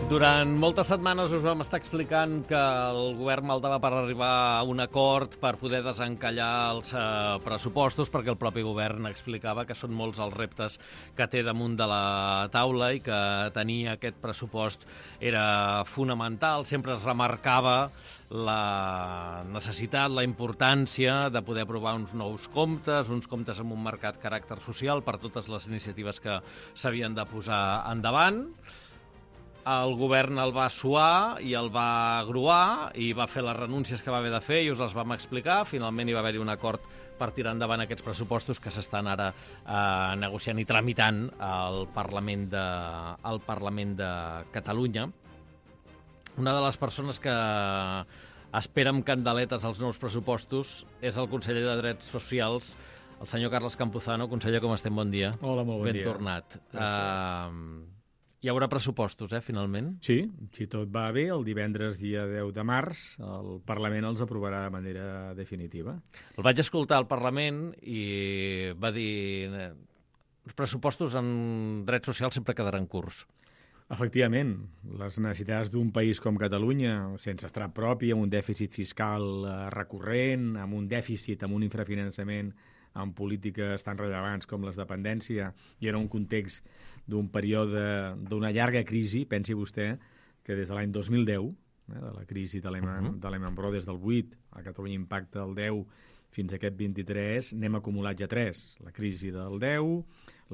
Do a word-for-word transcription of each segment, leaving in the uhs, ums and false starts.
Durant moltes setmanes us vam estar explicant que el govern maltava per arribar a un acord per poder desencallar els eh, pressupostos, perquè el propi govern explicava que són molts els reptes que té damunt de la taula i que tenir aquest pressupost era fonamental. Sempre es remarcava la necessitat, la importància de poder aprovar uns nous comptes, uns comptes amb un marcat caràcter social per totes les iniciatives que s'havien de posar endavant. El govern el va suar i el va gruar i va fer les renúncies que va haver de fer i us les vam explicar. Finalment hi va haver-hi un acord per tirar endavant aquests pressupostos que s'estan ara eh, negociant i tramitant al Parlament de, al Parlament de Catalunya. Una de les persones que espera amb candeletes els nous pressupostos és el conseller de Drets Socials, el senyor Carles Campuzano. Conseller, com estem? Bon dia. Hola, molt bon Ben dia. Ben tornat. Gràcies. Uh, Hi haurà pressupostos, eh, finalment? Sí, si tot va bé, el divendres dia deu de març el Parlament els aprovarà de manera definitiva. El vaig escoltar al Parlament i va dir els pressupostos en drets socials sempre quedaran curts. Efectivament, les necessitats d'un país com Catalunya, sense estrat propi, amb un dèficit fiscal eh, recurrent, amb un dèficit, amb un infrafinançament, amb polítiques tan rellevants com les de dependència, i en un context d'un període, d'una llarga crisi, pensi vostè que des de l'any dos mil deu, eh, de la crisi de Lehman, uh-huh. de Lehman Brothers del vuit, a Catalunya Impacta el deu, fins a aquest vint-i-tres, n'hem acumulat ja tres. La crisi del deu,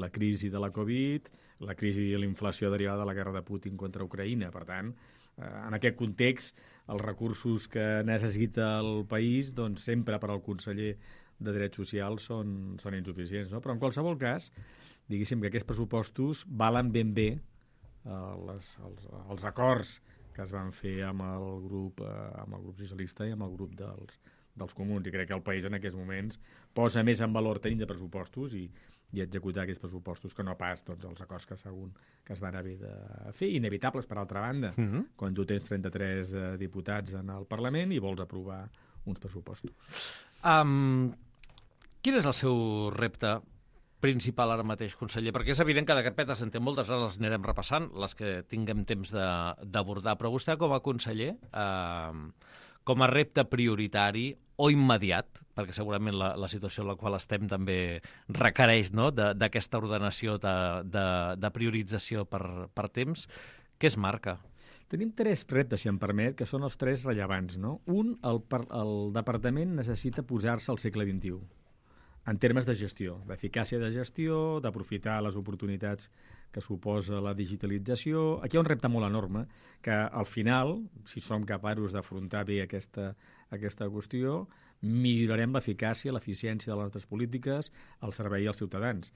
la crisi de la Covid, la crisi i l'inflació derivada de la guerra de Putin contra Ucraïna. Per tant, eh, en aquest context, els recursos que necessita el país, doncs sempre per al conseller de Drets Socials són, són insuficients, no? Però en qualsevol cas, diguéssim que aquests pressupostos valen ben bé eh, les, els, els acords que es van fer amb el grup, eh, amb el grup socialista i amb el grup dels, dels comuns. I crec que el país en aquests moments posa més en valor tenir de pressupostos i, i executar aquests pressupostos que no pas tots els acords que, segon, que es van haver de fer, inevitables per altra banda, mm-hmm. quan tu tens trenta-tres eh, diputats en el Parlament i vols aprovar uns pressupostos. Um, quin és el seu repte principal ara mateix, conseller? Perquè és evident que de carpetes en té moltes, ara les anirem repassant, les que tinguem temps d'abordar, però vostè com a conseller, eh, com a repte prioritari o immediat, perquè segurament la, la situació en la qual estem també requereix, no?, d'aquesta ordenació de, de, de priorització per, per temps, què es marca? Tenim tres reptes, si em permet, que són els tres rellevants, no? Un, el, el departament necessita posar-se al segle vint-i-u, en termes de gestió, d'eficàcia de gestió, d'aprofitar les oportunitats que suposa la digitalització. Aquí hi ha un repte molt enorme, que al final, si som capaços d'afrontar bé aquesta, aquesta qüestió, millorarem l'eficàcia, l'eficiència de les nostres polítiques al servei als ciutadans.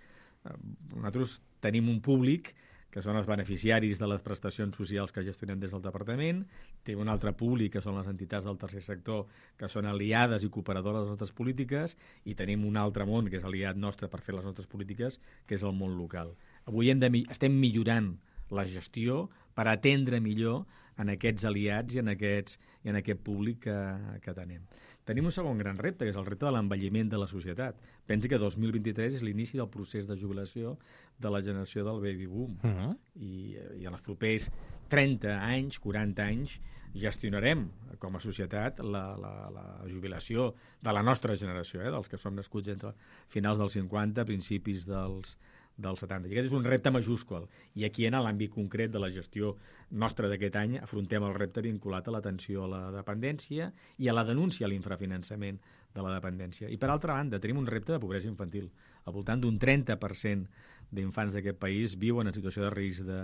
Nosaltres tenim un públic que són els beneficiaris de les prestacions socials que gestionem des del departament, té un altre públic, que són les entitats del tercer sector, que són aliades i cooperadores de les nostres polítiques, i tenim un altre món, que és aliat nostre per fer les nostres polítiques, que és el món local. Avui hem de, estem millorant la gestió per atendre millor en aquests aliats i en, aquests, i en aquest públic que, que tenim. Tenim un segon gran repte, que és el repte de l'envelliment de la societat. Pensi que dos mil vint-i-tres és l'inici del procés de jubilació de la generació del baby boom. Uh-huh. I, I en els propers trenta anys, quaranta anys, gestionarem com a societat la, la, la jubilació de la nostra generació, eh, dels que som nascuts entre finals dels cinquanta, principis dels dels setanta. I aquest és un repte majúscul. I aquí, en l'àmbit concret de la gestió nostra d'aquest any, afrontem el repte vinculat a l'atenció a la dependència i a la denúncia a l'infrafinançament de la dependència. I, per altra banda, tenim un repte de pobresa infantil. Al voltant d'un trenta per cent d'infants d'aquest país viuen en situació de risc de,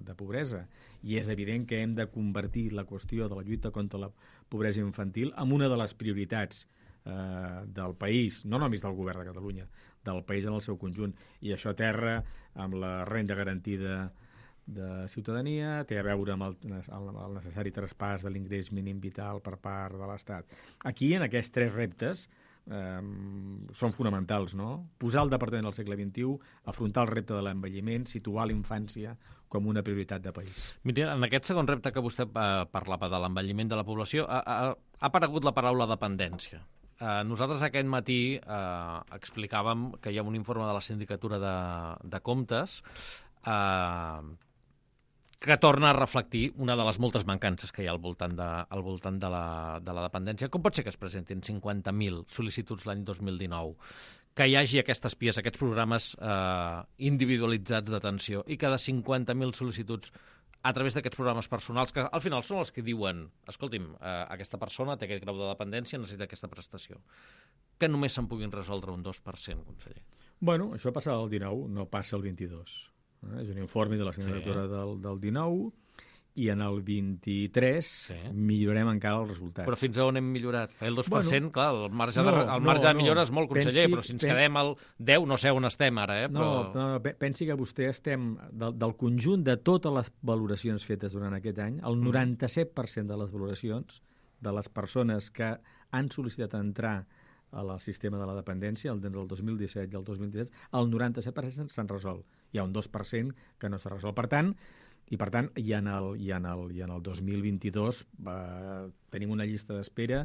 de pobresa. I és evident que hem de convertir la qüestió de la lluita contra la pobresa infantil en una de les prioritats eh, del país, no només del govern de Catalunya, del país en el seu conjunt. I això terra amb la renda garantida de ciutadania, té a veure amb el, el necessari traspàs de l'ingrés mínim vital per part de l'Estat. Aquí, en aquests tres reptes, eh, són fonamentals, no? Posar el departament al segle vint-i-u, afrontar el repte de l'envelliment, situar l'infància com una prioritat de país. Mira, en aquest segon repte que vostè eh, parlava de l'envelliment de la població, ha, ha, ha aparegut la paraula dependència. Eh, nosaltres aquest matí eh, explicàvem que hi ha un informe de la Sindicatura de, de Comptes eh, que torna a reflectir una de les moltes mancances que hi ha al voltant de, al voltant de, la, de la dependència. Com pot ser que es presentin cinquanta mil sol·licituds l'any dos mil dinou? Que hi hagi aquestes P I Es, aquests programes eh, individualitzats d'atenció, i que de cinquanta mil sol·licituds a través d'aquests programes personals, que al final són els que diuen, escolti'm, eh, aquesta persona té aquest grau de dependència, necessita aquesta prestació, que només se'n puguin resoldre un dos per cent, conseller. Bueno, això passa al dinou, no passa al vint-i-dos. Eh? És un informe de la sindicatura sí. del, del dinou, i en el vint-i-tres sí. millorarem encara el resultat. Però fins a on hem millorat? El dos per cent, bueno, clar, el marge, no, de, el marge no, de millora no. és molt, conseller, pensi, però si ens pen... quedem al deu, no sé on estem ara, eh? Però... No, no, no, pensi que vostè estem, del, del conjunt de totes les valoracions fetes durant aquest any, el noranta-set per cent de les valoracions de les persones que han sol·licitat entrar al sistema de la dependència, el del dos mil disset i el dos mil disset, el noranta-set per cent s'han resolt. Hi ha un dos per cent que no s'ha resolt. Per tant, i per tant, i en el, i en el, i en el dos mil vint-i-dos eh, tenim una llista d'espera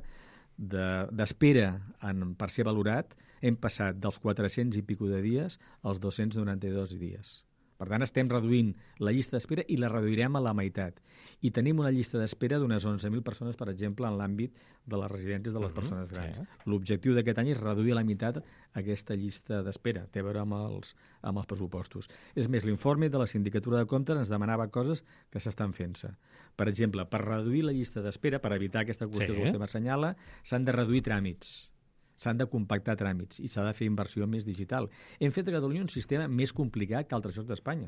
d'espera de, per ser valorat. Hem passat dels quatre-cents i pico de dies als dos-cents noranta-dos dies. Per tant, estem reduint la llista d'espera i la reduirem a la meitat. I tenim una llista d'espera d'unes onze mil persones, per exemple, en l'àmbit de les residències de les persones grans. Sí. L'objectiu d'aquest any és reduir a la meitat aquesta llista d'espera. Té a veure amb els, amb els pressupostos. És més, l'informe de la Sindicatura de Comptes ens demanava coses que s'estan fent-se. Per exemple, per reduir la llista d'espera, per evitar aquesta qüestió sí. que vostè m'assenyala, s'han de reduir tràmits. S'han de compactar tràmits i s'ha de fer inversió més digital. Hem fet a Catalunya un sistema més complicat que altres llocs d'Espanya.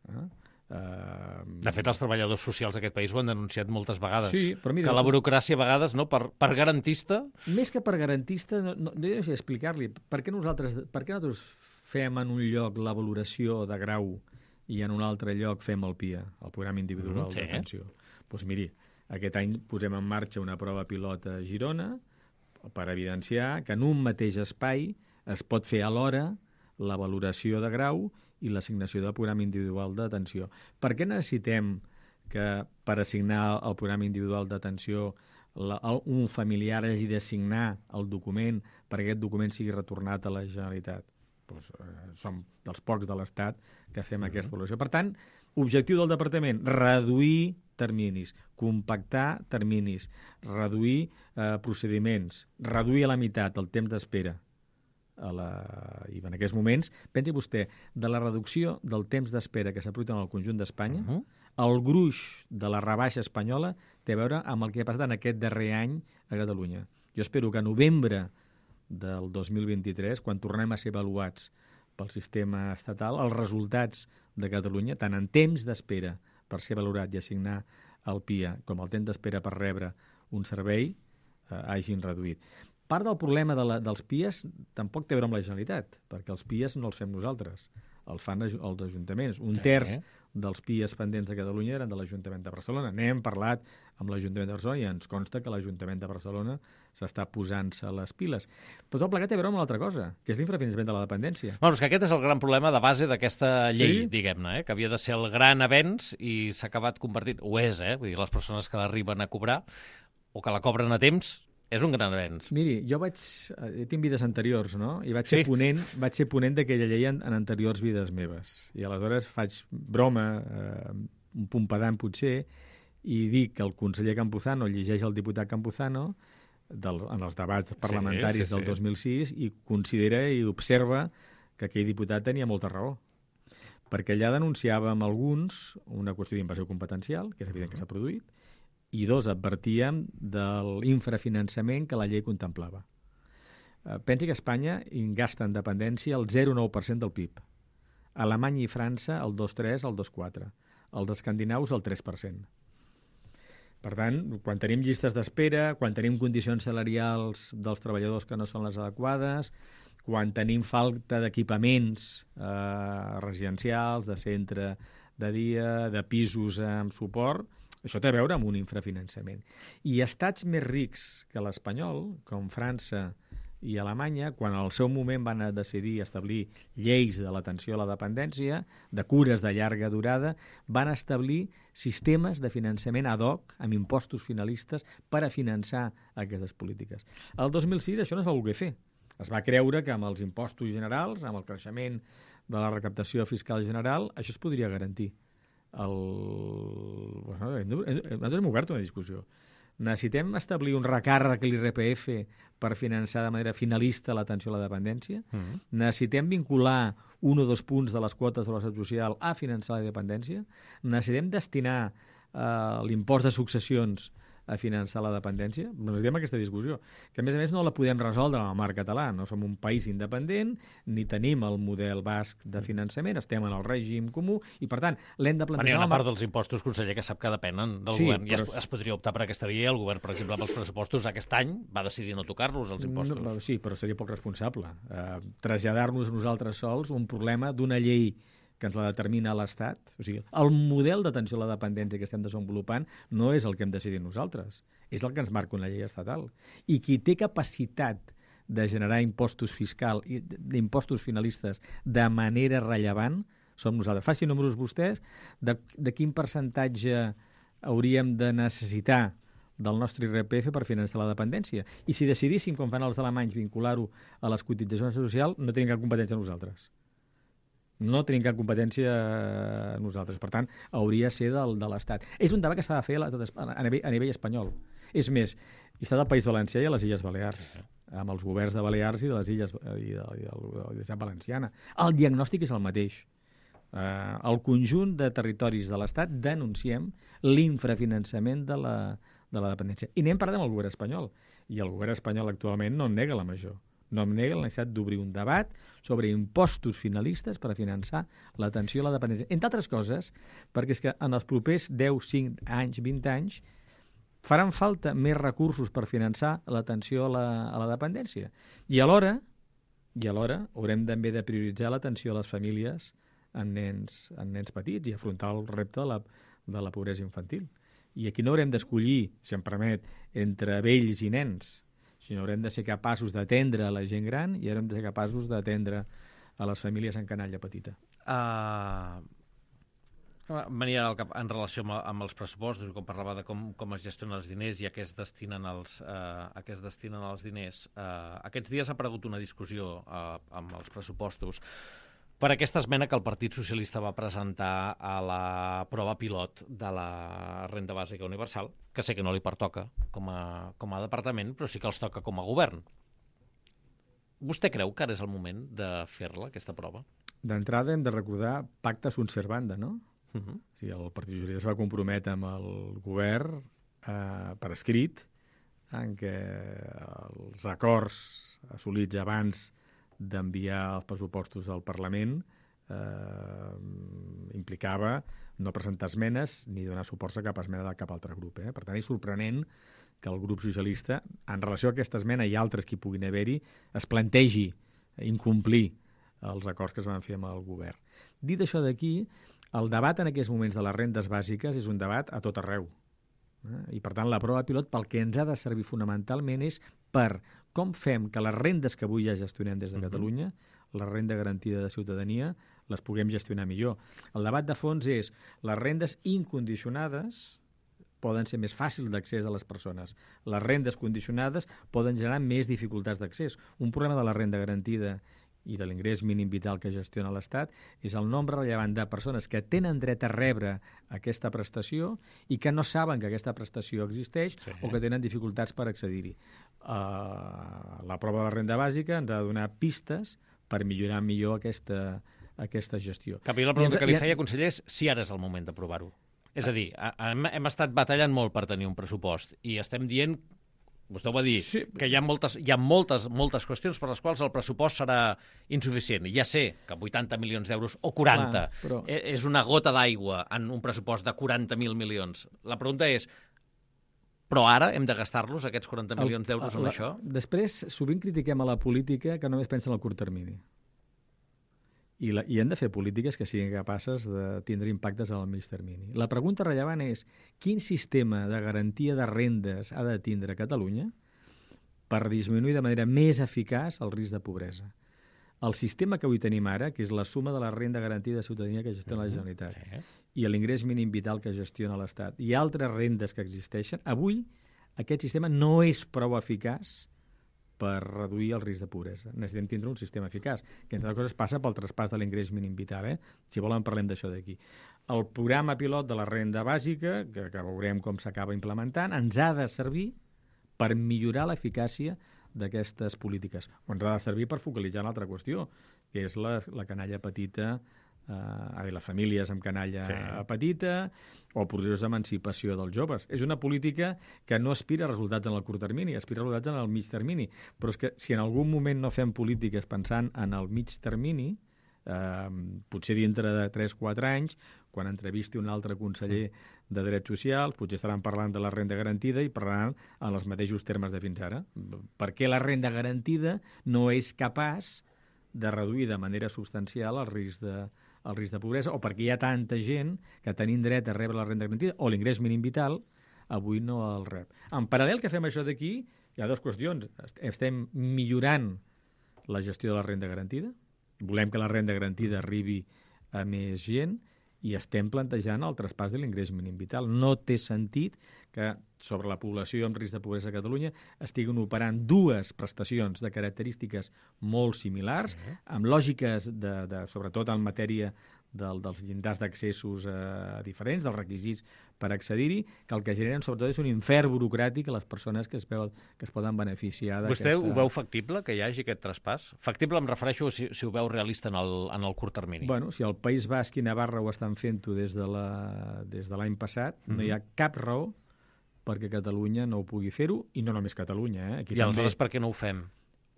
Eh? Uh... De fet, els treballadors socials d'aquest país ho han denunciat moltes vegades. Sí, però mira, que la burocràcia a vegades, no, per, per garantista... Més que per garantista, no, no, no sé explicar-li. Per què nosaltres, per què nosaltres fem en un lloc la valoració de grau i en un altre lloc fem el P I A, el Programa Individual mm, sí. d'Atenció? Doncs pues miri, aquest any posem en marxa una prova pilot a Girona per evidenciar que en un mateix espai es pot fer alhora la valoració de grau i l'assignació del programa individual d'atenció. Per què necessitem que per assignar el programa individual d'atenció un familiar hagi d'assignar el document perquè aquest document sigui retornat a la Generalitat? Pues, eh, som dels pocs de l'Estat que fem uh-huh. aquesta valoració. Per tant, objectiu del Departament, reduir terminis, compactar terminis, reduir eh, procediments, reduir a la meitat el temps d'espera. A la... I en aquests moments, pensi vostè, de la reducció del temps d'espera que s'aprofita en el conjunt d'Espanya, uh-huh. el gruix de la rebaixa espanyola té a veure amb el que ha passat en aquest darrer any a Catalunya. Jo espero que a novembre del dos mil vint-i-tres, quan tornem a ser avaluats pel sistema estatal, els resultats de Catalunya, tant en temps d'espera per ser valorat i assignar el P I A com el temps d'espera per rebre un servei, eh, hagin reduït. Part del problema de la, dels P I As tampoc té a veure amb la Generalitat, perquè els P I As no els fem nosaltres, els fan els ajuntaments. Un sí, terç eh? dels P I As pendents de Catalunya eren de l'Ajuntament de Barcelona. N'hem parlat amb l'Ajuntament de Barcelona i ens consta que l'Ajuntament de Barcelona s'està posant-se les piles. Però tot plegat té a veure amb una altra cosa, que és l'infrafinançament de la dependència. Bueno, és que aquest és el gran problema de base d'aquesta llei, sí? diguem-ne, eh? que havia de ser el gran avenç i s'ha acabat convertint... Ho és, eh? Vull dir, les persones que l'arriben a cobrar o que la cobren a temps, és un gran avenç. Miri, jo vaig... Jo tinc vides anteriors, no? I vaig ser sí. ponent, vaig ser ponent d'aquella llei en, en anteriors vides meves. I aleshores faig broma, eh, un punt pedant potser, i dic que el conseller Campuzano llegeix el diputat Campuzano del, en els debats parlamentaris sí, sí, sí. del dos mil sis i considera i observa que aquell diputat tenia molta raó. Perquè allà denunciàvem alguns una qüestió d'invasió competencial, que és evident que s'ha produït, i dos, advertíem de l'infrafinançament que la llei contemplava. Eh, pensi que Espanya gasta en dependència el zero coma nou per cent del P I B. Alemanya i França el dos coma tres, el dos coma quatre. Els escandinaus el tres per cent. Per tant, quan tenim llistes d'espera, quan tenim condicions salarials dels treballadors que no són les adequades, quan tenim falta d'equipaments eh, residencials, de centre de dia, de pisos amb suport, això té a veure amb un infrafinançament. I estats més rics que l'espanyol, com França i Alemanya, quan al seu moment van decidir establir lleis de l'atenció a la dependència, de cures de llarga durada, van establir sistemes de finançament ad hoc, amb impostos finalistes, per a finançar aquestes polítiques. El dos mil sis això no es va voler fer. Es va creure que amb els impostos generals, amb el creixement de la recaptació fiscal general, això es podria garantir. el... Bueno, nosaltres hem obert una discussió. Necessitem establir un recàrrec a l'I R P F per finançar de manera finalista l'atenció a la dependència? Mm-hmm. Necessitem vincular un o dos punts de les quotes de la seguretat social a finançar la dependència? Necessitem destinar eh, l'impost de successions a finançar la dependència? Necessitem aquesta discussió, que a més a més no la podem resoldre en el marc català. No som un país independent, ni tenim el model basc de finançament, estem en el règim comú, i per tant l'hem de plantejar... Bueno, hi ha una part dels impostos, conseller, que sap que depenen del sí, govern. I es, però... es podria optar per aquesta via. El govern, per exemple, pels pressupostos aquest any va decidir no tocar-los, els impostos. No, sí, però seria poc responsable. Uh, traslladar-nos nosaltres sols un problema d'una llei que ens la determina l'Estat. O sigui, el model d'atenció a la dependència que estem desenvolupant no és el que hem decidit nosaltres, és el que ens marca una llei estatal. I qui té capacitat de generar impostos fiscal, impostos finalistes de manera rellevant, som nosaltres. Facin números vostès de, de quin percentatge hauríem de necessitar del nostre I R P F per finançar la dependència. I si decidíssim, com fan els alemanys, vincular-ho a les cotitzacions socials, no tenim cap competència nosaltres. No tenim cap competència nosaltres. Per tant, hauria de ser del, de l'Estat. És un debat que s'ha de fer a, a, nivell, a nivell espanyol. És més, hi està el País Valencià i a les Illes Balears, amb els governs de Balears i de les Illes i de, i de, de la Ciutat Valenciana. El diagnòstic és el mateix. Uh, el conjunt de territoris de l'Estat denunciem l'infrafinançament de la, de la dependència. I anem parlant amb el govern espanyol. I el govern espanyol actualment no en nega la major. No em nega la necessitat d'obrir un debat sobre impostos finalistes per a finançar l'atenció a la dependència. Entre altres coses, perquè és que en els propers deu, cinc anys, vint anys, faran falta més recursos per finançar l'atenció a la, a la dependència. I alhora, i alhora haurem també de prioritzar l'atenció a les famílies amb nens, amb nens petits i afrontar el repte de la, de la pobresa infantil. I aquí no haurem d'escollir, si em permet, entre vells i nens, sinó haurem de ser capaços d'atendre a la gent gran i haurem de ser capaços d'atendre a les famílies en canalla petita. Uh, venia al cap en relació amb, amb els pressupostos, com parlava de com, com es gestionen els diners i a què es destinen els, uh, a què es destinen els diners. Uh, aquests dies ha aparegut una discussió uh, amb els pressupostos per aquesta esmena que el Partit Socialista va presentar a la prova pilot de la renda bàsica universal, que sé que no li pertoca com a, com a departament, però sí que els toca com a govern. Vostè creu que ara és el moment de fer-la, aquesta prova? D'entrada hem de recordar pacta sunt servanda, no? Uh -huh. O sigui, el Partit Socialista es va comprometre amb el govern eh, per escrit en què els acords assolits abans d'enviar els pressupostos al Parlament eh, implicava no presentar esmenes ni donar suports a cap esmena de cap altre grup. Eh? Per tant, és sorprenent que el grup socialista, en relació a aquesta esmena i altres que hi puguin haver-hi, es plantegi incomplir els acords que es van fer amb el govern. Dit això d'aquí, el debat en aquests moments de les rendes bàsiques és un debat a tot arreu. Eh? I, per tant, la prova pilot pel que ens ha de servir fonamentalment és per com fem que les rendes que avui ja gestionem des de Catalunya, la renda garantida de ciutadania, les puguem gestionar millor. El debat de fons és les rendes incondicionades poden ser més fàcils d'accés a les persones. Les rendes condicionades poden generar més dificultats d'accés. Un problema de la renda garantida i de l'ingrés mínim vital que gestiona l'Estat és el nombre rellevant de persones que tenen dret a rebre aquesta prestació i que no saben que aquesta prestació existeix sí. o que tenen dificultats per accedir-hi. Uh, la prova de la renda bàsica ens ha de donar pistes per millorar millor aquesta, aquesta gestió. Cap i la pregunta ens, que li feia, conseller, és si ara és el moment d'aprovar-ho. És a dir, hem, hem estat batallant molt per tenir un pressupost i estem dient, vostè ho va dir, sí. que hi ha, moltes, hi ha moltes, moltes qüestions per les quals el pressupost serà insuficient. Ja sé que vuitanta milions d'euros o quaranta Clar, però... és una gota d'aigua en un pressupost de quaranta mil milions. La pregunta és, però ara hem de gastar-los, aquests quaranta milions d'euros, amb això? Després, sovint critiquem a la política que només pensa en el curt termini. I, la, i hem de fer polítiques que siguin capaces de tindre impactes a mig termini. La pregunta rellevant és quin sistema de garantia de rendes ha de tindre Catalunya per disminuir de manera més eficaç el risc de pobresa. El sistema que avui tenim ara, que és la suma de la renda garantida de ciutadania que gestiona la Generalitat sí. i l'ingrés mínim vital que gestiona l'Estat i altres rendes que existeixen, avui aquest sistema no és prou eficaç per reduir el risc de pobresa. Necessitem tindre un sistema eficaç, que entre altres coses passa pel traspàs de l'ingrés mínim vital. Eh? Si volen parlem d'això d'aquí. El programa pilot de la renda bàsica, que, que veurem com s'acaba implementant, ens ha de servir per millorar l'eficàcia d'aquestes polítiques. O ens ha de servir per focalitzar una altra qüestió, que és la, la canalla petita, eh, les famílies amb canalla sí. petita, o processos d'emancipació dels joves. És una política que no aspira a resultats en el curt termini, aspira a resultats en el mig termini. Però és que si en algun moment no fem polítiques pensant en el mig termini, eh, potser dintre de tres o quatre anys, quan entrevisti un altre conseller de Drets Socials, potser estaran parlant de la renda garantida i parlaran en els mateixos termes de fins ara. Per què la renda garantida no és capaç de reduir de manera substancial el risc de, el risc de pobresa, o perquè hi ha tanta gent que tenint dret a rebre la renda garantida o l'ingrés mínim vital, avui no el rep. En paral·lel que fem això d'aquí, hi ha dues qüestions. Estem millorant la gestió de la renda garantida, volem que la renda garantida arribi a més gent, i estem plantejant el traspàs de l'ingrés mínim vital. No té sentit que sobre la població amb risc de pobresa a Catalunya estiguin operant dues prestacions de característiques molt similars, uh-huh. amb lògiques, de, de, sobretot en matèria del, dels llindars d'accessos eh, diferents, dels requisits per accedir-hi, que el que generen sobretot és un infern burocràtic a les persones que es, veu, que es poden beneficiar d'aquesta... Vostè ho veu factible, que hi hagi aquest traspàs? Factible em refereixo si, si ho veu realista en el, en el curt termini. Bueno, si el País Basc i Navarra ho estan fent-ho des de l'any passat, mm-hmm. no hi ha cap raó perquè Catalunya no ho pugui fer-ho, i no només Catalunya. Eh? Aquí I aleshores també... per què no ho fem?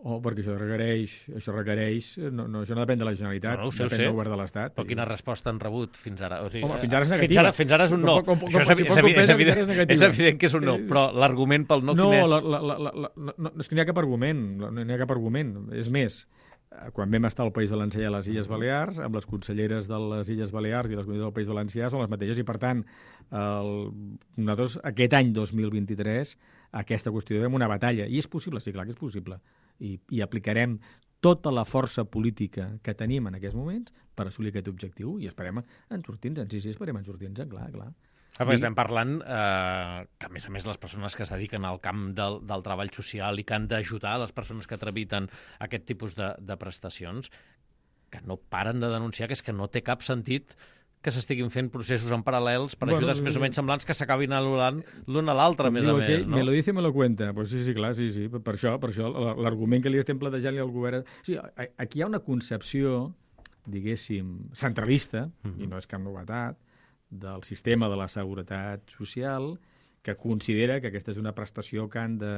Oh, perquè això requereix, això requereix, no, no, això no depèn de la Generalitat, no, no, depèn sé. del govern de l'Estat. Però quina resposta han rebut fins ara? O sigui, Home, fins ara és Fins negativa. ara, fins ara és un no. Com, com, com, això és, com, és, evident, és, evident, és evident que és un no, però l'argument pel no, no quin és? La, la, la, la, la, no, és que n'hi ha cap argument, no n'hi ha cap argument. És més, quan vam estar al País Valencià i a les Illes Balears, amb les conselleres de les Illes Balears i les comunitats del País Valencià són les mateixes, i per tant, el, nosaltres aquest any dos mil vint-i-tres aquesta qüestió és una batalla, i és possible, sí, clar que és possible, i, i aplicarem tota la força política que tenim en aquests moments per assolir aquest objectiu, i esperem en sortir-nos, sí, sí, esperem en sortir-nos, clar, clar. Ah, I... Estem parlant eh, que, a més a més, les persones que es dediquen al camp del, del treball social i que han d'ajudar les persones que tramiten aquest tipus de, de prestacions, que no paren de denunciar que és que no té cap sentit que s'estiguin fent processos en paral·lels per bueno, ajudes més o menys semblants que s'acabin anul·lant l'un a l'altre, a més a més. Aquell, no? Me lo dice, me lo cuenta. Pues sí, sí, clar, sí, sí. Per això, per això l'argument que li estem plantejant-li al govern... Sí, aquí hi ha una concepció, diguéssim, centralista, uh-huh. i no és cap novetat, del sistema de la seguretat social, que considera que aquesta és una prestació que han de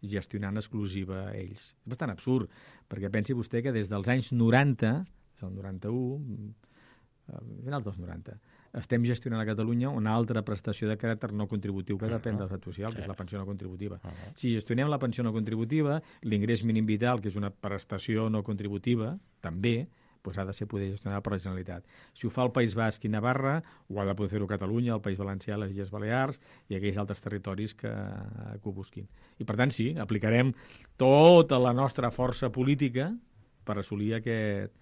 gestionar en exclusiva ells. És bastant absurd, perquè pensi vostè que des dels anys noranta, el noranta-u, finals dels noranta, estem gestionant a Catalunya una altra prestació de caràcter no contributiu que depèn de l'estat social, que és la pensió no contributiva. Uh-huh. Si gestionem la pensió no contributiva, l'ingrés mínim vital, que és una prestació no contributiva, també, doncs ha de ser poder gestionar per la Generalitat. Si ho fa el País Basc i Navarra, ho ha de poder fer-ho Catalunya, el País Valencià, les Illes Balears i aquells altres territoris que, que ho busquin. I per tant, sí, aplicarem tota la nostra força política per assolir aquest,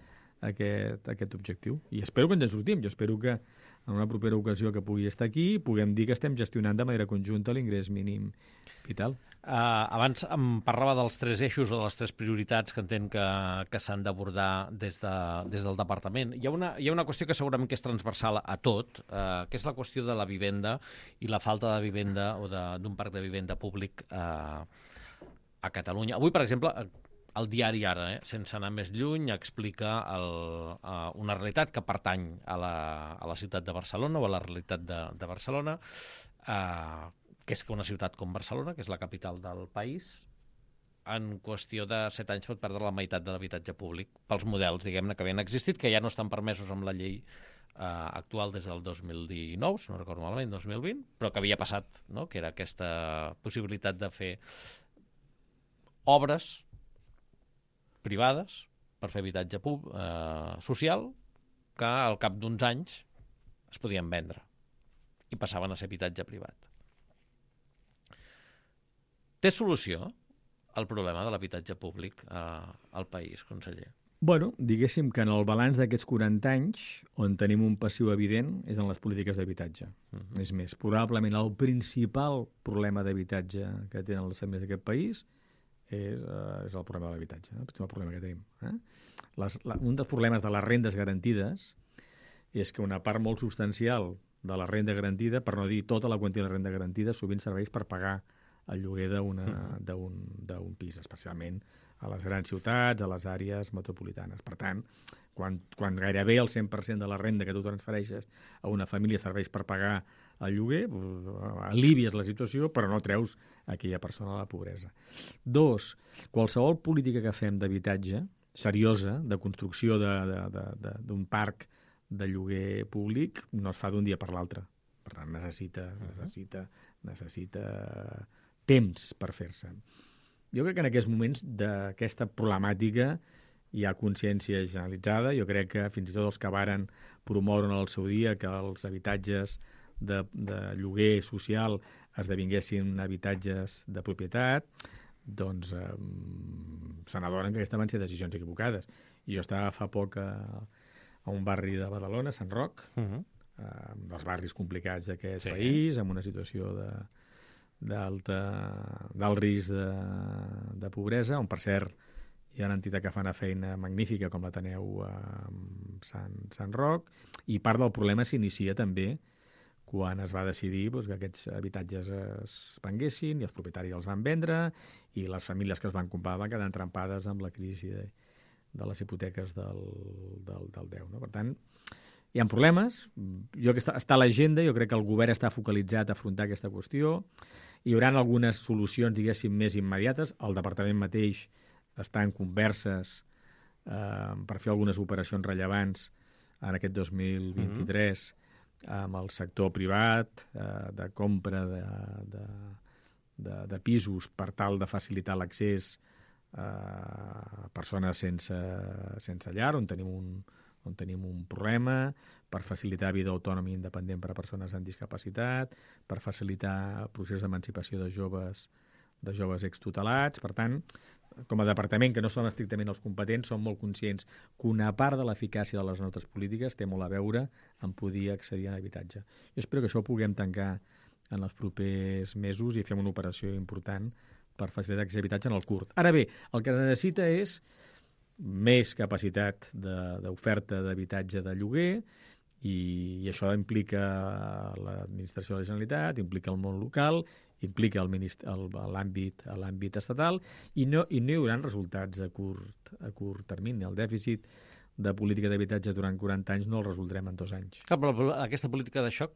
aquest, aquest objectiu. I espero que ens en sortim. Jo espero que en una propera ocasió que pugui estar aquí puguem dir que estem gestionant de manera conjunta l'ingrés mínim vital. Uh, abans em parlava dels tres eixos o de les tres prioritats que entenc que, que s'han d'abordar des, de, des del departament. Hi ha, una, hi ha una qüestió que segurament que és transversal a tot, uh, que és la qüestió de la vivenda i la falta de vivenda o d'un parc de vivenda públic uh, a Catalunya. Avui, per exemple, el diari Ara, eh, sense anar més lluny, explica el, uh, una realitat que pertany a la, a la ciutat de Barcelona o a la realitat de, de Barcelona, uh, que és que una ciutat com Barcelona, que és la capital del país, en qüestió de set anys pot perdre la meitat de l'habitatge públic pels models, diguem-ne, que havien existit, que ja no estan permesos amb la llei eh, actual des del dos mil dinou, si no recordo malament, dos mil vint, però que havia passat, no?, que era aquesta possibilitat de fer obres privades per fer habitatge pub, eh, social, que al cap d'uns anys es podien vendre i passaven a ser habitatge privat. Té solució el problema de l'habitatge públic eh, al país, conseller? Bueno, diguéssim que en el balanç d'aquests quaranta anys, on tenim un passiu evident, és en les polítiques d'habitatge. Uh-huh. És més, probablement el principal problema d'habitatge que tenen les famílies d'aquest país és, uh, és el problema de l'habitatge, no? El principal problema que tenim. Eh? Les, la, un dels problemes de les rendes garantides és que una part molt substancial de la renda garantida, per no dir tota la quantia de la renda garantida, sovint serveix per pagar el lloguer d'un pis, especialment a les grans ciutats, a les àrees metropolitanes. Per tant, quan, quan gairebé el cent per cent de la renda que tu transfereixes a una família serveix per pagar el lloguer, alivies la situació, però no treus aquella persona a la pobresa. Dos, qualsevol política que fem d'habitatge, seriosa, de construcció d'un parc de lloguer públic, no es fa d'un dia per l'altre. Per tant, necessita, necessita, necessita temps per fer-se. Jo crec que en aquests moments d'aquesta problemàtica hi ha consciència generalitzada. Jo crec que fins i tot els que varen promoure en el seu dia que els habitatges de, de lloguer social esdevinguessin habitatges de propietat, doncs eh, se n'adonen que aquestes van ser decisions equivocades. I jo estava fa poc a, a un barri de Badalona, Sant Roc, uh -huh. eh, dels barris complicats d'aquest sí. país, amb una situació de d'alt risc de, de pobresa, on per cert hi ha una entitat que fa una feina magnífica com l'Ateneu a Sant, Sant Roc, i part del problema s'inicia també quan es va decidir doncs, que aquests habitatges es venguessin i els propietaris els van vendre i les famílies que es van comprar van quedar entrampades amb la crisi de, de les hipoteques del, del, del deu. No? Per tant, hi ha problemes. Jo que està, està a l'agenda, jo crec que el govern està focalitzat a afrontar aquesta qüestió. Hi haurà algunes solucions, diguéssim, més immediates. El departament mateix està en converses eh, per fer algunes operacions rellevants en aquest dos mil vint-i-tres mm-hmm. amb el sector privat eh, de compra de, de, de, de pisos per tal de facilitar l'accés a persones sense, sense llar, on tenim un, on tenim un problema, per facilitar vida autònoma i independent per a persones amb discapacitat, per facilitar el procés d'emancipació de joves, de joves extutelats. Per tant, com a departament, que no som estrictament els competents, som molt conscients que una part de l'eficàcia de les nostres polítiques té molt a veure amb poder accedir a l'habitatge. Jo espero que això ho puguem tancar en els propers mesos i fem una operació important per facilitar aquest habitatge en el curt. Ara bé, el que es necessita és més capacitat d'oferta d'habitatge de lloguer i, i això implica l'administració de la Generalitat, implica el món local, implica l'àmbit estatal i no, i no hi haurà resultats a curt, a curt termini. El dèficit de política d'habitatge durant quaranta anys no el resoldrem en dos anys. Clar, però aquesta política de xoc,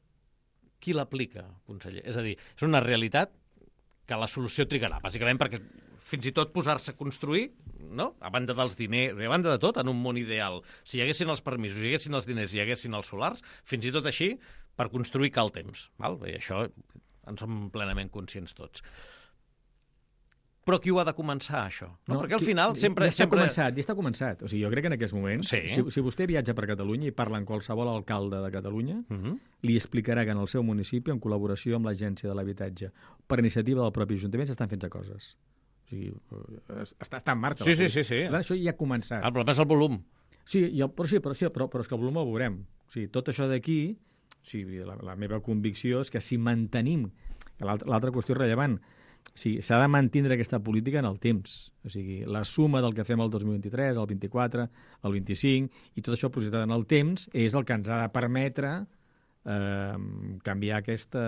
qui l'aplica, conseller? És a dir, és una realitat que la solució trigarà, bàsicament perquè fins i tot posar-se a construir, no? A banda dels diners, a banda de tot, en un món ideal, si hi haguessin els permisos, hi haguessin els diners, hi haguessin els solars, fins i tot així, per construir cal temps. Val? I això en som plenament conscients tots. Però qui ho ha de començar, això? No, no, perquè al final qui, sempre... Ja està sempre... començat, ja està començat. O sigui, jo crec que en aquests moments, sí. si, si vostè viatja per Catalunya i parla amb qualsevol alcalde de Catalunya, uh-huh. li explicarà que en el seu municipi, en col·laboració amb l'Agència de l'Habitatge, per iniciativa del propi Ajuntament, s'estan fent coses. O sigui, està, està en marxa. Sí, sí, sí, sí. Per tant, això ja ha començat. El problema és el volum. Sí, i el, però, sí, però, sí però, però és que el volum el veurem. O sigui, tot això d'aquí, o sigui, la, la meva convicció és que si mantenim, l'altra qüestió rellevant, sí, s'ha de mantindre aquesta política en el temps. O sigui, la suma del que fem el dos mil vint-i-tres, el vint-i-quatre, el vint-i-cinc, i tot això projectat en el temps, és el que ens ha de permetre eh, canviar aquesta,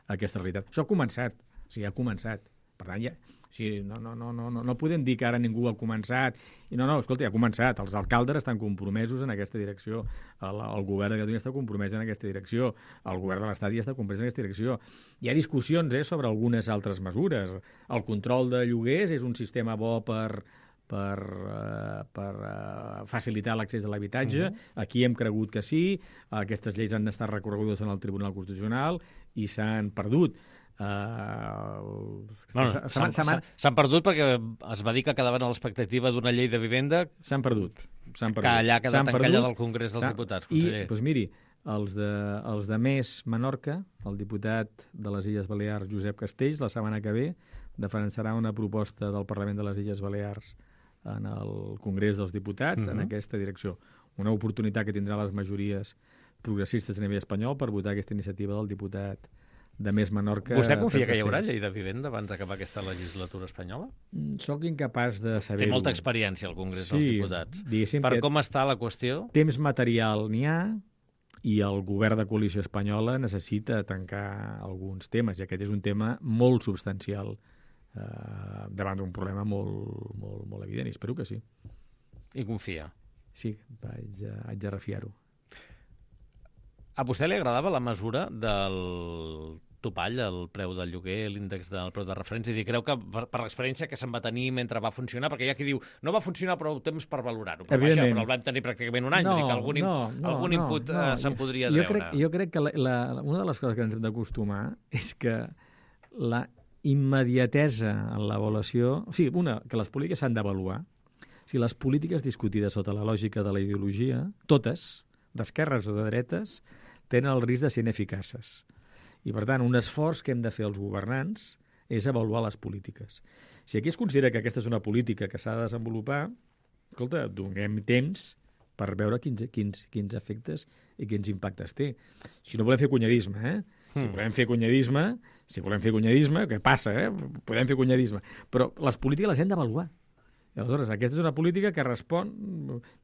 aquesta realitat. Això ha començat, o sigui, ha començat. Per tant, ja, o sigui, no, no, no, no, no podem dir que ara ningú ha començat. I no, no, escolta, ja ha començat. Els alcaldes estan compromesos en aquesta direcció. El, el govern de Catalunya està compromès en aquesta direcció. El govern de l'Estat ja està compromès en aquesta direcció. Hi ha discussions eh, sobre algunes altres mesures. El control de lloguers és un sistema bo per, per, uh, per uh, facilitar l'accés a l'habitatge. Uh-huh. Aquí hem cregut que sí. Aquestes lleis han estat recorregudes en el Tribunal Constitucional i s'han perdut. Uh, no, no, s'han perdut perquè es va dir que quedaven a l'expectativa d'una llei de vivenda. S'han perdut, s'han perdut. Que allà ha quedat encallada al Congrés dels Diputats, conseller. I, doncs miri, els de, els de Més Menorca, el diputat de les Illes Balears, Josep Castells, la setmana que ve defensarà una proposta del Parlament de les Illes Balears en el Congrés dels Diputats uh-huh. en aquesta direcció. Una oportunitat que tindran les majories progressistes a nivell espanyol per votar aquesta iniciativa del diputat de més menor que... Vostè confia que hi haurà llei de vivenda abans d'acabar aquesta legislatura espanyola? Soc incapaç de saber-ho. Té molta experiència al Congrés sí, dels Diputats. Per com està la qüestió? Temps material n'hi ha i el govern de coalició espanyola necessita tancar alguns temes, i aquest és un tema molt substancial eh, davant d'un problema molt, molt, molt evident, i espero que sí. I confia? Sí, vaig, haig de refiar-ho. A vostè li agradava la mesura del topall, el preu del lloguer, l'índex del preu de referència? I creu que per, per l'experiència que se'n va tenir mentre va funcionar, perquè hi ha qui diu no va funcionar prou temps per valorar-ho, però, vaja, però el vam tenir pràcticament un any, no, vull dir que algun, no, no, algun no, input no, eh, se'n podria jo treure. Crec, jo crec que la, la, una de les coses que ens hem d'acostumar és que la immediatesa en l'avaluació... O sigui, una, que les polítiques s'han d'avaluar. Si les polítiques discutides sota la lògica de la ideologia, totes, d'esquerres o de dretes, tenen el risc de ser ineficaces. I, per tant, un esforç que hem de fer els governants és avaluar les polítiques. Si aquí es considera que aquesta és una política que s'ha de desenvolupar, escolta, donem temps per veure quins, quins, quins efectes i quins impactes té. Si no volem fer cunyadisme, eh? Si mm. volem fer cunyadisme, si volem fer cunyadisme, què passa, eh? Podem fer cunyadisme. Però les polítiques les hem d'avaluar. I aleshores, aquesta és una política que respon,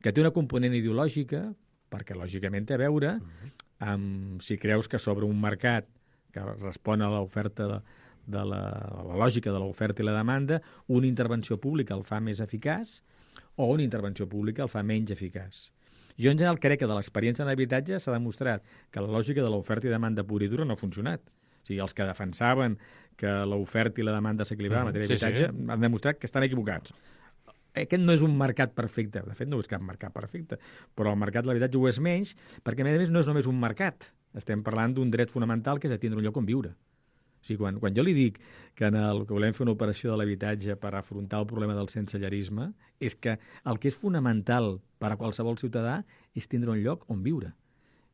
que té una component ideològica, perquè lògicament té a veure amb si creus que sobre un mercat que respon a l'oferta de, de la, a la lògica de l'oferta i la demanda, una intervenció pública el fa més eficaç o una intervenció pública el fa menys eficaç. Jo, en general, crec que de l'experiència en habitatge s'ha demostrat que la lògica de l'oferta i demanda pura i dura no ha funcionat. O sigui, els que defensaven que l'oferta i la demanda s'equilibraven en matèria d'habitatge sí, sí. han demostrat que estan equivocats. Aquest no és un mercat perfecte, de fet no és cap mercat perfecte, però el mercat de l'habitatge ho és menys, perquè a més a més no és només un mercat, estem parlant d'un dret fonamental que és a tindre un lloc on viure. O sigui, quan, quan jo li dic que, en el, que volem fer una operació de l'habitatge per afrontar el problema del sensellarisme, és que el que és fonamental per a qualsevol ciutadà és tindre un lloc on viure.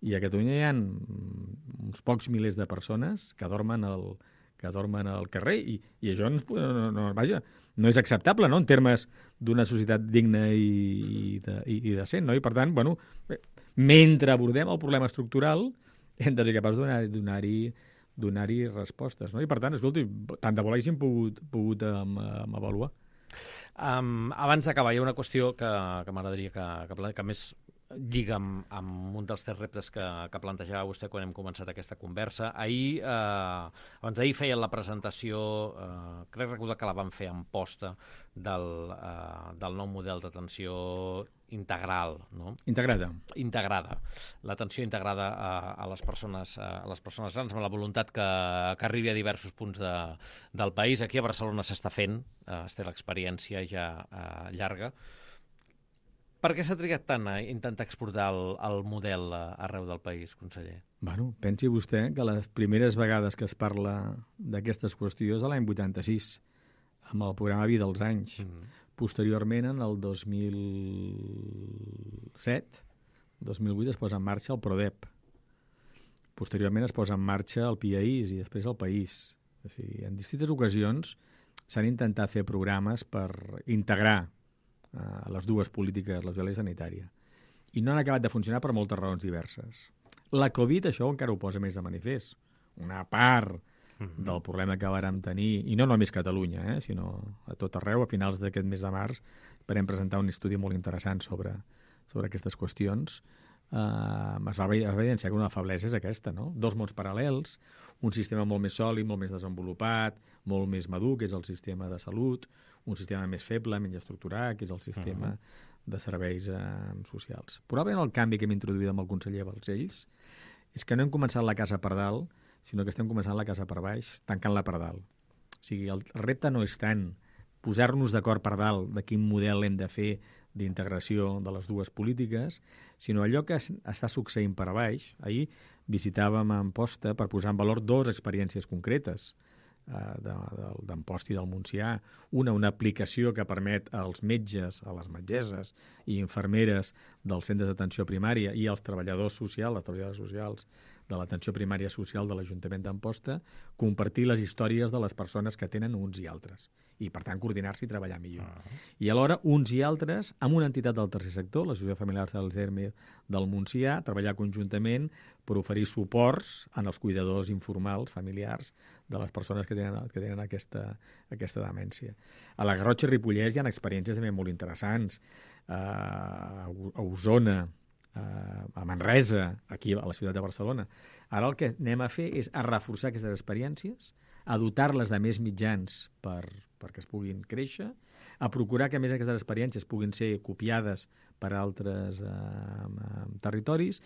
I a Catalunya hi ha uns pocs milers de persones que dormen al, que dormen al carrer i, i això no, no, no, vaja, no és acceptable, no?, en termes d'una societat digna i, i, de, i, i decent, no? I per tant, bueno, mentre abordem el problema estructural hem de ser capaços de donar-hi donar-hi donar-hi respostes, no? I per tant, escolti, tant de bo l'haguéssim pogut, pogut um, um, avaluar. Um, abans d'acabar, hi ha una qüestió que, que m'agradaria que, que, que més lliga amb, amb un dels tres reptes que, que plantejava vostè quan hem començat aquesta conversa. Ahir, eh, abans d'ahir feien la presentació, eh, crec recordar que la van fer en posta, del, eh, del nou model d'atenció integral, no? Integrada. Integrada. L'atenció integrada a, a, les persones, a les persones grans, amb la voluntat que, que arribi a diversos punts de, del país. Aquí a Barcelona s'està fent, eh, es té l'experiència ja eh, llarga. Per què s'ha trigat tant a intentar exportar el, el model arreu del país, conseller? Bueno, pensi vostè que les primeres vegades que es parla d'aquestes qüestions de l'any vuitanta-sis, amb el programa Vida als anys. Mm. Posteriorment, en el dos mil set, dos mil vuit, es posa en marxa el PRODEP. Posteriorment es posa en marxa el PIAIS i després el País. O sigui, en distintes ocasions s'han intentat fer programes per integrar a les dues polítiques, la social i sanitària. I no han acabat de funcionar per moltes raons diverses. La Covid això encara ho posa més de manifest. Una part mm-hmm. del problema que vàrem tenir, i no només Catalunya, eh, sinó a tot arreu, a finals d'aquest mes de març, vam presentar un estudi molt interessant sobre, sobre aquestes qüestions. Uh, es va evidenciar que una feblesa és aquesta, no? Dos mons paral·lels, un sistema molt més sòlid, molt més desenvolupat, molt més madur, que és el sistema de salut, un sistema més feble, menys estructurat, que és el sistema uh-huh. de serveis eh, socials. Probablement el canvi que hem introduït amb el conseller Balcells és que no hem començat la casa per dalt, sinó que estem començant la casa per baix, tancant-la per dalt. O sigui, el repte no és tant posar-nos d'acord per dalt de quin model hem de fer d'integració de les dues polítiques, sinó allò que està succeint per a baix. Ahir visitàvem Amposta per posar en valor dues experiències concretes d'Amposta i del Montsià. Una, una aplicació que permet als metges, a les metgesses i infermeres dels centres d'atenció primària i als treballadors socials, les treballadores socials de l'atenció primària social de l'Ajuntament d'Amposta, compartir les històries de les persones que tenen uns i altres, i per tant coordinar-se i treballar millor. Uh-huh. I alhora uns i altres amb una entitat del tercer sector, l'Associació Familiar del Germe del Montsià, treballar conjuntament per oferir suports en els cuidadors informals, familiars, de les persones que tenen, que tenen aquesta, aquesta demència. A la Garrotxa i Ripollès hi ha experiències també molt interessants. Uh, a Osona, uh, a Manresa, aquí a la ciutat de Barcelona. Ara el que anem a fer és a reforçar aquestes experiències, a dotar-les de més mitjans per, perquè es puguin créixer, a procurar que a més aquestes experiències puguin ser copiades per altres uh, territoris,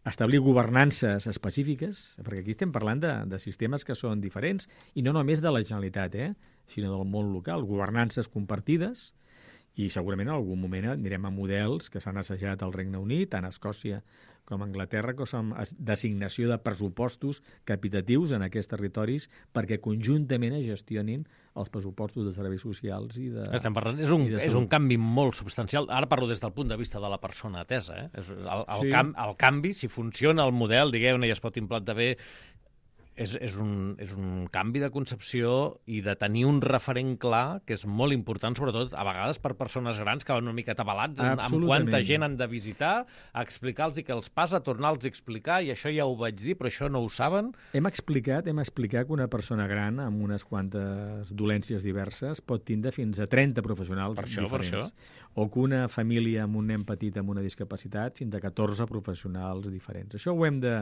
establir governances específiques, perquè aquí estem parlant de, de sistemes que són diferents, i no només de la Generalitat, eh, sinó del món local, governances compartides, i segurament en algun moment anirem a models que s'han assajat al Regne Unit, tant a Escòcia com a Anglaterra, que són designació de pressupostos capitatius en aquests territoris perquè conjuntament es gestionin els pressupostos de serveis socials i de... Estem parlant, és un, és un canvi molt substancial. Ara parlo des del punt de vista de la persona atesa. Eh? És el, el, sí. cam, el canvi, si funciona el model, digueu-ne, i es pot implantar bé, És, és, un, és un canvi de concepció i de tenir un referent clar, que és molt important, sobretot a vegades per persones grans que van una mica atabalats amb, amb quanta gent han de visitar, a explicar-los què els passa, tornar-los a explicar, i això ja ho vaig dir, però això no ho saben. Hem explicat, hem explicat que una persona gran amb unes quantes dolències diverses pot tindre fins a trenta professionals per això, diferents. Per això. O que una família amb un nen petit amb una discapacitat fins a catorze professionals diferents. Això ho hem de...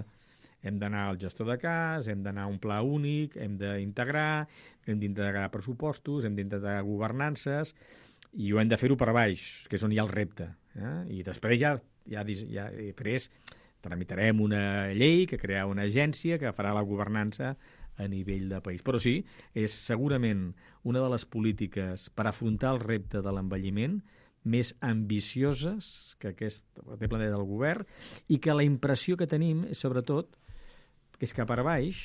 Hem d'anar al gestor de cas, hem d'anar a un pla únic, hem d'integrar, hem d'integrar pressupostos, hem d'integrar governances, i ho hem de fer-ho per baix, que és on hi ha el repte. Eh? I després ja, ja, ja després tramitarem una llei que crearà una agència que farà la governança a nivell de país. Però sí, és segurament una de les polítiques per afrontar el repte de l'envelliment més ambicioses que aquest té plantejat del govern, i que la impressió que tenim és, sobretot, que és que per baix,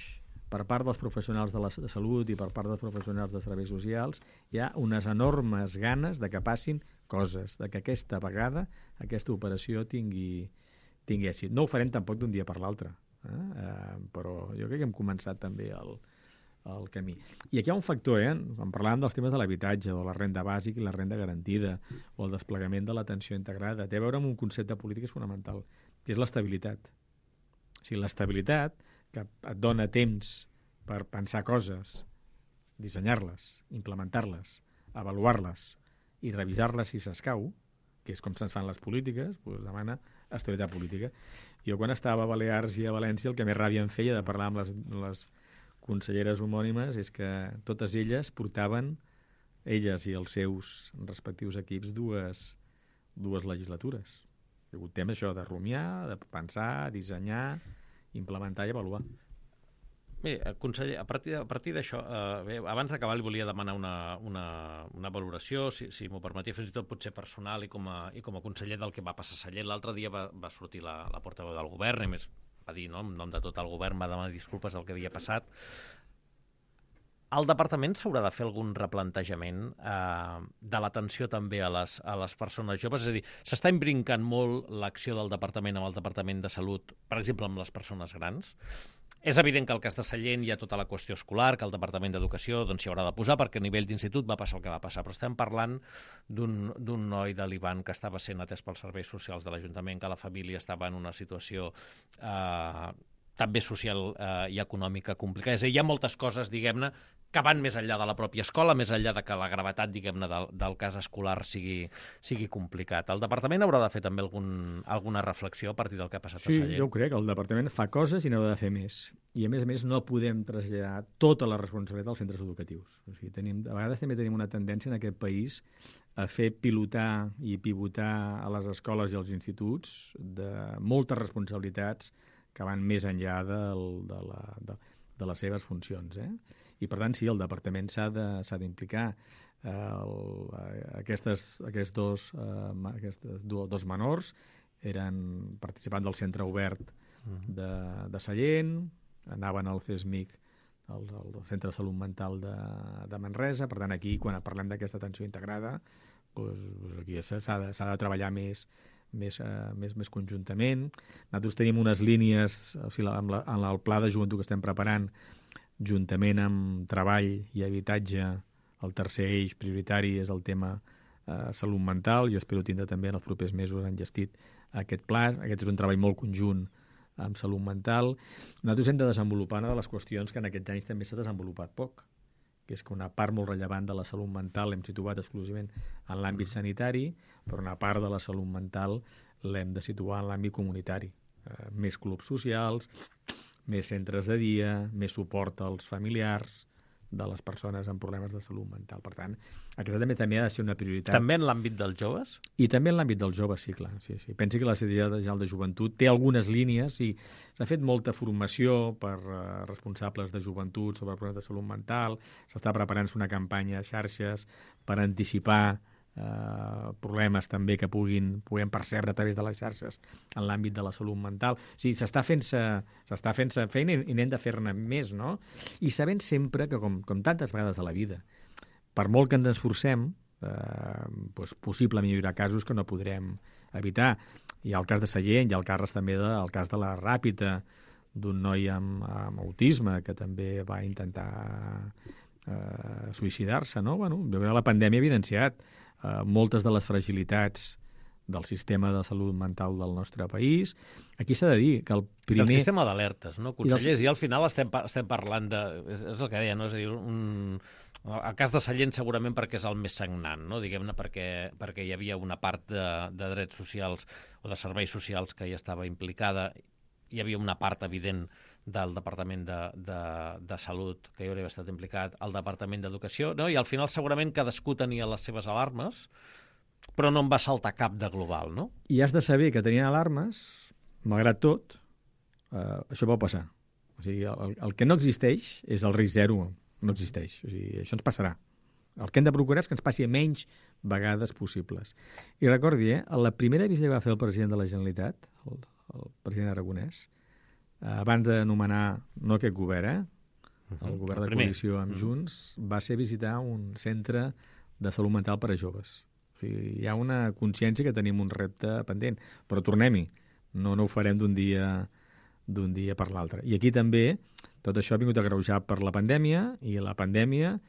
per part dels professionals de la de salut i per part dels professionals de serveis socials, hi ha unes enormes ganes de que passin coses, de que aquesta vegada aquesta operació tingui, tingui èxit. No ho farem tampoc d'un dia per l'altre, eh? Eh, però jo crec que hem començat també el, el camí. I aquí hi ha un factor, eh? Quan parlàvem dels temes de l'habitatge, o la renda bàsica i la renda garantida, o el desplegament de l'atenció integrada, té a veure amb un concepte polític fonamental, que és l'estabilitat. O sigui, l'estabilitat, que et dona temps per pensar coses, dissenyar-les, implementar-les, avaluar-les i revisar-les si s'escau, que és com se'ns fan les polítiques, doncs demana estabilitat política. Jo quan estava a Balears i a València el que més ràbia em feia de parlar amb les, les conselleres homònimes és que totes elles portaven, elles i els seus respectius equips, dues, dues legislatures. Hi ha hagut temps això de rumiar, de pensar, dissenyar, implementar i avaluar. Bé, conseller, a partir, a partir d'això, eh, bé, abans d'acabar li volia demanar una, una, una valoració, si, si m'ho permetia, fins i tot potser personal i com a, i com a conseller del que va passar a Sallent. L'altre dia va, va sortir la, la portaveu del govern, i més va dir, no, en nom de tot el govern, va demanar disculpes del que havia passat. El departament s'haurà de fer algun replantejament eh, de l'atenció també a les, a les persones joves? És a dir, s'està imbrincant molt l'acció del departament amb el departament de salut, per exemple, amb les persones grans. És evident que al cas de Sallent hi ha tota la qüestió escolar, que el Departament d'Educació doncs, s'hi haurà de posar, perquè a nivell d'institut va passar el que va passar, però estem parlant d'un noi de l'Ivan que estava sent atès pels serveis socials de l'Ajuntament, que la família estava en una situació eh, també social eh, i econòmica complicada. És a dir, hi ha moltes coses, diguem-ne, que van més enllà de la pròpia escola, més enllà de que la gravetat, diguem-ne, del, del cas escolar sigui, sigui complicat. El departament haurà de fer també algun, alguna reflexió a partir del que ha passat sí, a Sallent? Sí, jo crec que el departament fa coses i n'haurà de fer més. I, a més a més, no podem traslladar tota la responsabilitat als centres educatius. O sigui, tenim, a vegades també tenim una tendència en aquest país a fer pilotar i pivotar a les escoles i als instituts de moltes responsabilitats que van més enllà del, de, la, de, de les seves funcions, eh? I, per tant, sí, el departament s'ha d'implicar. Eh, aquestes, aquests, dos, eh, aquestes dos menors eren participants del centre obert de, de Sallent, anaven al CESMIC, el, el Centre de Salut Mental de, de Manresa. Per tant, aquí, quan parlem d'aquesta atenció integrada, doncs, doncs aquí s'ha de, s'ha de treballar més, més, uh, més, més conjuntament. Nosaltres tenim unes línies, o sigui, amb la, en el pla de joventut que estem preparant, juntament amb treball i habitatge, el tercer eix prioritari és el tema eh, salut mental. Jo espero tindre també en els propers mesos enllestit aquest pla. Aquest és un treball molt conjunt amb salut mental. Nosaltres hem de desenvolupar una de les qüestions que en aquests anys també s'ha desenvolupat poc, que és que una part molt rellevant de la salut mental l'hem situat exclusivament en l'àmbit sanitari, però una part de la salut mental l'hem de situar en l'àmbit comunitari. Eh, més clubs socials, més centres de dia, més suport als familiars de les persones amb problemes de salut mental. Per tant, aquesta també també ha de ser una prioritat. També en l'àmbit dels joves? I també en l'àmbit dels joves, sí, clar. Sí, sí. Pensi que la Secretaria General de Joventut té algunes línies i s'ha fet molta formació per uh, responsables de joventut sobre problemes de salut mental, s'està preparant una campanya a xarxes per anticipar Uh, problemes també que puguin, puguem percebre a través de les xarxes en l'àmbit de la salut mental. O sigui, s'està fent-se s'està fent-se feina i n'hem de fer-ne més, no? I sabent sempre que, com, com tantes vegades a la vida, per molt que ens esforcem, eh, doncs possiblement hi haurà casos que no podrem evitar. Hi ha el cas de Sallent, hi ha el cas també de, el cas de la Ràpita, d'un noi amb, amb autisme que també va intentar eh, suïcidar-se, no? Bueno, la pandèmia ha evidenciat Uh, moltes de les fragilitats del sistema de salut mental del nostre país. Aquí s'ha de dir que el primer... Del sistema d'alertes, no, consellers? I, dels... I al final estem, estem parlant de... És el que deia, no? És a dir, un... el cas de Sallent segurament perquè és el més sagnant, no? Diguem-ne, perquè, perquè hi havia una part de, de drets socials o de serveis socials que hi estava implicada. Hi havia una part evident del Departament de, de, de Salut que hi hauria estat implicat, el Departament d'Educació, no? I al final segurament cadascú tenia les seves alarmes, però no en va saltar cap de global, no? I has de saber que tenien alarmes, malgrat tot, eh, això pot passar. O sigui, el, el que no existeix és el risc zero, no existeix. O sigui, això ens passarà. El que hem de procurar és que ens passi a menys vegades possibles. I recordi, eh, la primera visita que va fer el president de la Generalitat, el, el president Aragonès, abans d'anomenar, no aquest govern, eh? el govern de coalició amb Junts, va ser visitar un centre de salut mental per a joves. O sigui, hi ha una consciència que tenim un repte pendent, però tornem-hi, no, no ho farem d'un dia, d'un dia per l'altre. I aquí també tot això ha vingut agreujat per la pandèmia, i la pandèmia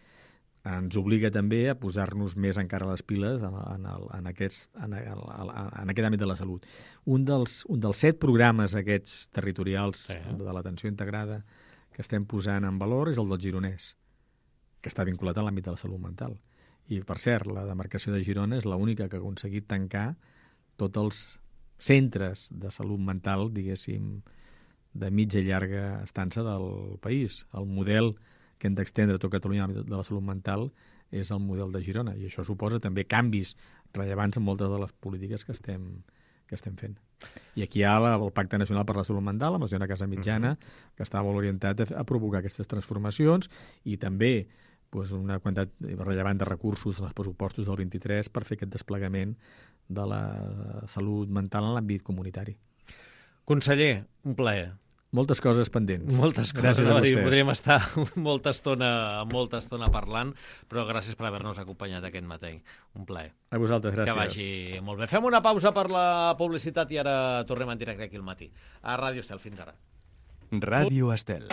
ens obliga també a posar-nos més encara les piles en, en, el, en, aquest, en, el, en aquest àmbit de la salut. Un dels, un dels set programes aquests territorials sí. de l'atenció integrada que estem posant en valor és el del Gironès, que està vinculat a l'àmbit de la salut mental. I, per cert, la demarcació de Girona és l'única que ha aconseguit tancar tots els centres de salut mental, diguéssim, de mitja i llarga estança del país. El model que hem d'extendre a tot Catalunya de la salut mental és el model de Girona, i això suposa també canvis rellevants en moltes de les polítiques que estem, que estem fent. I aquí hi ha la, el Pacte Nacional per la Salut Mental, amb la senyora Casa Mitjana, uh-huh. que està molt orientat a, a provocar aquestes transformacions, i també pues, una quantitat rellevant de recursos en els pressupostos del vint-i-tres per fer aquest desplegament de la salut mental en l'àmbit comunitari. Conseller, un plaer. Moltes coses pendents. Moltes coses, no? Podríem estar molta estona, molta estona parlant, però gràcies per haver-nos acompanyat aquest matí. Un plaer. A vosaltres, gràcies. Que vagi molt bé. Fem una pausa per la publicitat i ara tornem en directe aquí al matí. A Ràdio Estel, fins ara. Ràdio Estel.